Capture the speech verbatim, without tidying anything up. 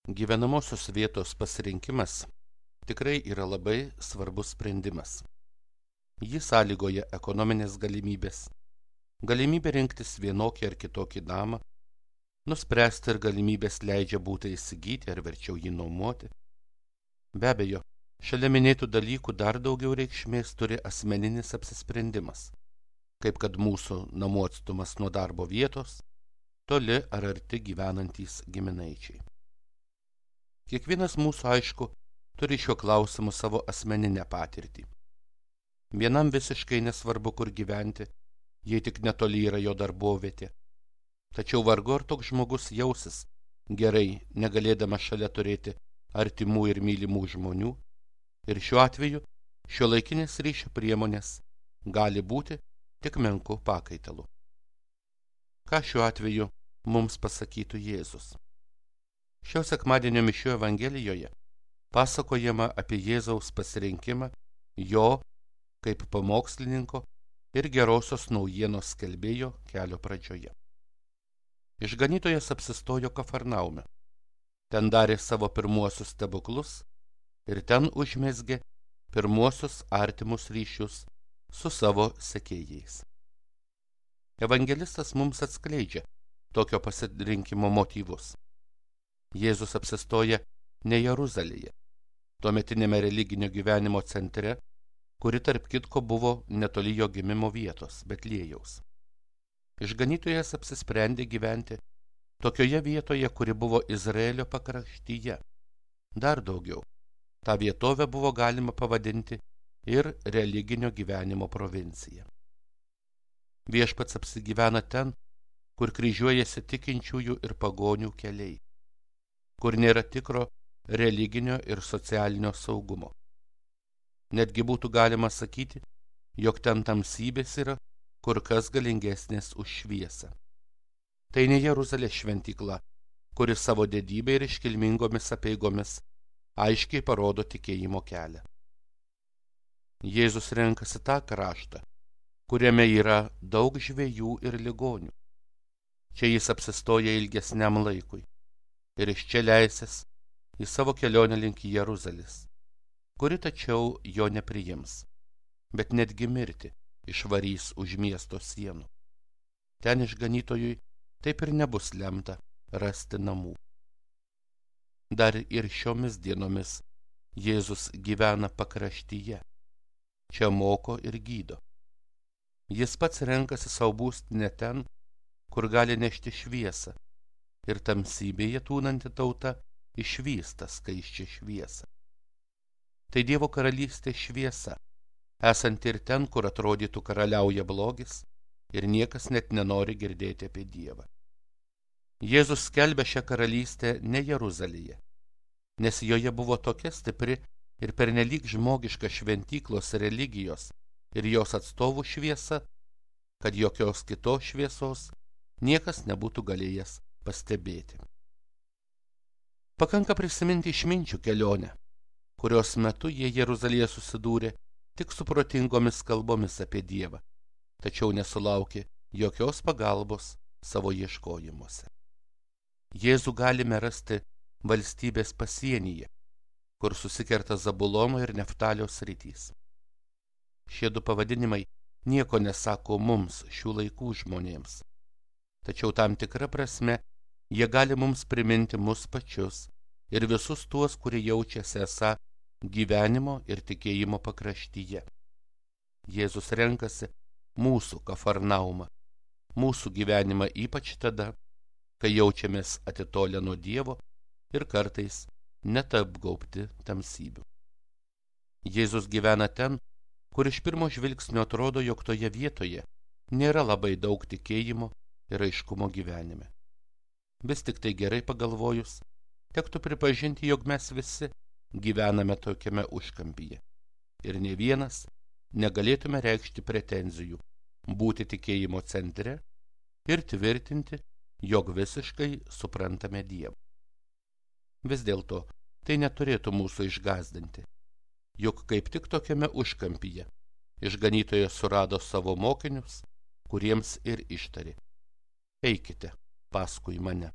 Gyvenamosios vietos pasirinkimas tikrai yra labai svarbus sprendimas. Jį sąlygoja ekonominės galimybės, galimybė rinktis vienokį ar kitokį namą, nuspręsti ir galimybės leidžia būtą įsigyti ar verčiau jį nuomoti. Be abejo, šalia minėtų dalykų dar daugiau reikšmės turi asmeninis apsisprendimas, kaip kad mūsų namų atstumas nuo darbo vietos, toli ar arti gyvenantys giminaičiai. Kiekvienas mūsų, aišku, turi šiuo klausimu savo asmeninę patirtį. Vienam visiškai nesvarbu, kur gyventi, jei tik netoli yra jo darbovietė. Tačiau vargu ar toks žmogus jausis gerai, negalėdama šalia turėti artimų ir mylimų žmonių, ir šiuo atveju šiuolaikinės ryšio priemonės gali būti tik menku pakaitalu. Ką šiuo atveju mums pasakytų Jėzus? Šio sekmadienio mišių Evangelijoje pasakojama apie Jėzaus pasirinkimą jo kaip pamokslininko ir gerosios naujienos skelbėjo kelio pradžioje. Išganytojas apsistojo Kafarnaume. Ten darė savo pirmuosius stebuklus ir ten užmezgė pirmuosius artimus ryšius su savo sekėjais. Evangelistas mums atskleidžia tokio pasirinkimo motyvus. Jėzus apsistoja ne Jeruzalėje, tuometinėme religinio gyvenimo centre, kuri tarp kitko buvo netoli jo gimimo vietos, Betliejaus. Išganytojas apsisprendė gyventi tokioje vietoje, kuri buvo Izraelio pakraštyje. Dar daugiau, tą vietovę buvo galima pavadinti ir religinio gyvenimo provincija. Viešpats apsigyvena ten, kur kryžiuojasi tikinčiųjų ir pagonių keliai, kur nėra tikro religinio ir socialinio saugumo. Netgi būtų galima sakyti, jog ten tamsybės yra kur kas galingesnės už šviesą. Tai ne Jeruzalės šventykla, kuri savo didybę ir iškilmingomis apeigomis aiškiai parodo tikėjimo kelią. Jėzus renkasi tą kraštą, kuriame yra daug žvejų ir ligonių. Čia jis apsistoja ilgesniam laikui ir iš čia leisis į savo kelionę link Jeruzalės, kuri tačiau jo nepriims, bet netgi mirti išvarys už miesto sienų. Ten išganytojui taip ir nebus lemta rasti namų. Dar ir šiomis dienomis Jėzus gyvena pakraštyje, čia moko ir gydo. Jis pats renkasi savo būstinę ten, kur gali nešti šviesą, ir tamsybėje tūnanti tauta išvysta skaisčią šviesą. Tai Dievo karalystės šviesa, esanti ir ten, kur atrodytų karaliauja blogis ir niekas net nenori girdėti apie Dievą. Jėzus skelbia šią karalystę ne Jeruzalėje, nes joje buvo tokia stipri ir pernelyg žmogiška šventyklos religijos ir jos atstovų šviesa, kad jokios kitos šviesos niekas nebūtų galėjęs pastebėti. Pakanka prisiminti išminčių kelionę, kurios metu jie Jeruzalėje susidūrė tik su protingomis kalbomis apie Dievą, tačiau nesulaukė jokios pagalbos savo ieškojimuose. Jėzų galime rasti valstybės pasienyje, kur susikerta Zabulono ir Neftalio sritys. Šie du pavadinimai nieko nesako mums, šių laikų žmonėms, tačiau tam tikra prasme jie gali mums priminti mus pačius ir visus tuos, kurie jaučiasi esą gyvenimo ir tikėjimo pakraštyje. Jėzus renkasi mūsų Kafarnaumą, mūsų gyvenimą ypač tada, kai jaučiamės atitolę nuo Dievo ir kartais net apgaubti tamsybių. Jėzus gyvena ten, kur iš pirmo žvilgsnio atrodo, jog toje vietoje nėra labai daug tikėjimo ir aiškumo gyvenime. Vis tik tai gerai pagalvojus, tektų pripažinti, jog mes visi gyvename tokiame užkampyje ir ne vienas negalėtume reikšti pretenzijų būti tikėjimo centre ir tvirtinti, jog visiškai suprantame Dievą. Vis dėlto tai neturėtų mūsų išgąsdinti, juk kaip tik tokiame užkampyje išganytojas surado savo mokinius, kuriems ir ištarė: eikite paskui mane.